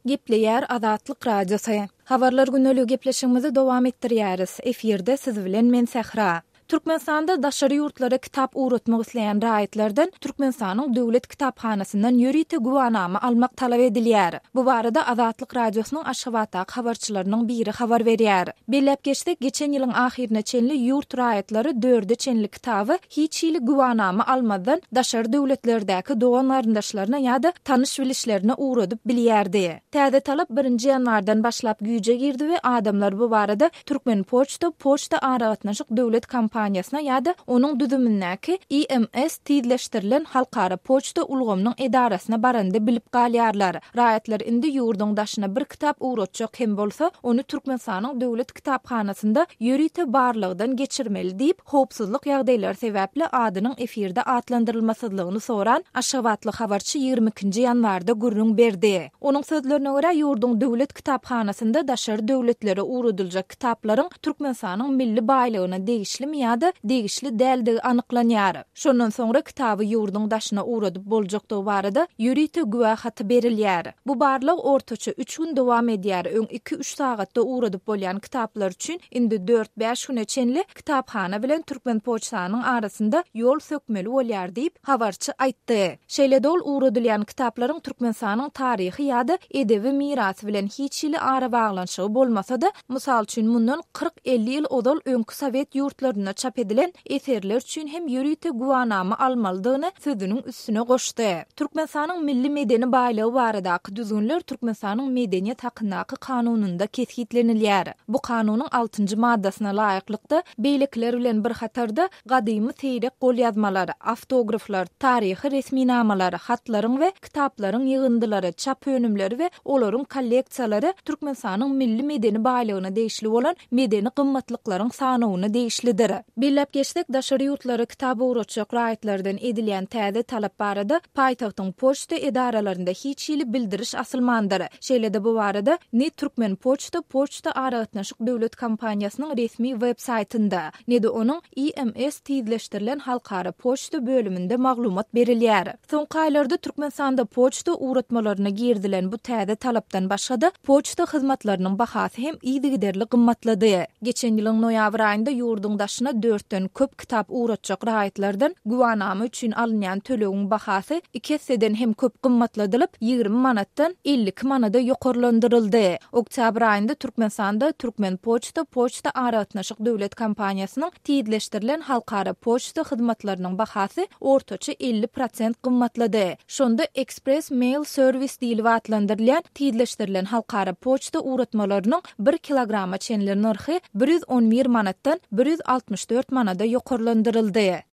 Gepleýär Azatlyk Radiosy. Habarlar gündeligi gepleşigimizi dowam etdirýäris. Efirde siz bilen men Sähra. Türkmenistanda daşary ýurtlara kitap ugratmak isleýän raýatlardan Türkmenistanyň Döwlet kitaphanasyndan ýörite güwanama almak talap edilýär. Bu barada Azatlyk Radiosynyň Aşgabatdaky habarçylarynyň biri habar berýär. Belläp geçsek, geçen ýylyň ahyryna çenli ýurt raýatlary dörde çenli kitaby hiç hili güwanama almazdan daşary döwletlerdäki dogan-garyndaşlaryna ýa-da tanyş-bilişlerine ugradyp bilýärdi. Täze talap birinji ýanwardan başlap güýje girdi we adamlar bu barada Türkmenpoçta poçta aragatnaşyk döwlet kompaniýasyna ýa-da onuň düzümindäki IMS tizleşdirilen halkara poçta ulgamynyň edarasyna baranda bilip galýarlar. Raýatlar indi ýurduň daşyna bir kitap ugratjak hem bolsa, ony Türkmenistanyň Döwlet kitaphanasynda ýörite barlagdan geçirmeli diýip, howpsuzlyk ýagdaýlary sebäpli adynyň efirde atlandyrylmasyzlygyny soran aşgabatly habarçy 22-nji ýanwarda gürrüň berdi. Onuň sözlerine görä, ýurduň Döwlet kitaphanasynda daşary döwletlere ugradyljak kitaplaryň Türkmenistanyň milli baýlygyna degişlimi ýa-da degişli däldigi anyklanýar. Şondan soňra kitaby ýurduň daşyna ugradyp boljakdygy barada ýörite güwä haty berilýär. Bu barlag ortaça üç gün dowam edýär, öň iki-üç sagatda ugradyp bolýan kitaplar üçin indi dört-bäş güne çenli kitaphana bilen Türkmenpoçtanyň arasynda ýol sökmeli bolýar diýip, habarçy aýtdy. Şeýle-de ol ugradylýan kitaplaryň Türkmenistanyň taryhy ýa-da edebi mirasy bilen hiç hili arabaglanyşygy bolmasa-da, mysal üçin, mundan 40-50 ýyl ozal öňki sowet ýurtlarynda çap edilen eserler üçin hem ýörite güwanama almalydygyny sözüniň üstüne goşdy. Türkmenistanyň milli medeni baýlygy baradaky düzgünler Türkmenistanyň Medeniýet hakyndaky Kanunynda kesgitlenilýär. Bu Kanunyň altynjy maddasyna laýyklykda, beýlekiler bilen bir hatarda, gadymy seýrek golýazmalar, awtograflar, taryhy resminamalar, hatlaryň we kitaplaryň ýygyndylary, çap önümleri we olaryň kolleksiýalary Türkmenistanyň milli medeni baýlygyna degişli bolan medeni gymmatlyklaryň sanawyna degişlidir. Belläp geçsek, daşary ýurtlara kitap ugratjak raýatlardan edilýän täze talap barada paýtagtyň poçta edaralarynda hiç hili bildiriş asylmandyr. Şeýle-de bu barada ne Türkmenpoçta poçta aragatnaşyk döwlet kompaniýasynyň resmi web-saýtynda, ne-de onuň IMS tizleşdirilen halkara poçta bölüminde maglumat berilýär. Soňky aýlarda Türkmenistanda poçta ugratmalaryna girizilen bu täze talapdan başga-da, poçta hyzmatlarynyň bahasy hem yzygiderli gymmatlady. Geçen ýylyň noýabr aýynda ýurduň daşyna dörtden köp kitap ugratjak raýatlardan güwanama üçin alynýan tölegiň bahasy iki esseden hem köp gymmatladylyp, 20 manatdan 52 manada ýokarlandyryldy. Oktýabr aýynda Türkmenistanda Türkmenpoçta poçta aragatnaşyk döwlet kompaniýasynyň tizleşdirilen halkara poçta hyzmatlarynyň bahasy ortaça 50 prosent gymmatlady. Şonda Express Mail Service diýlip atlandyrylýan tizleşdirilen halkara poçta ugratmalarynyň bir kilograma çenli nyrhy 111 manatdan 164 manada ýokarlandyryldy.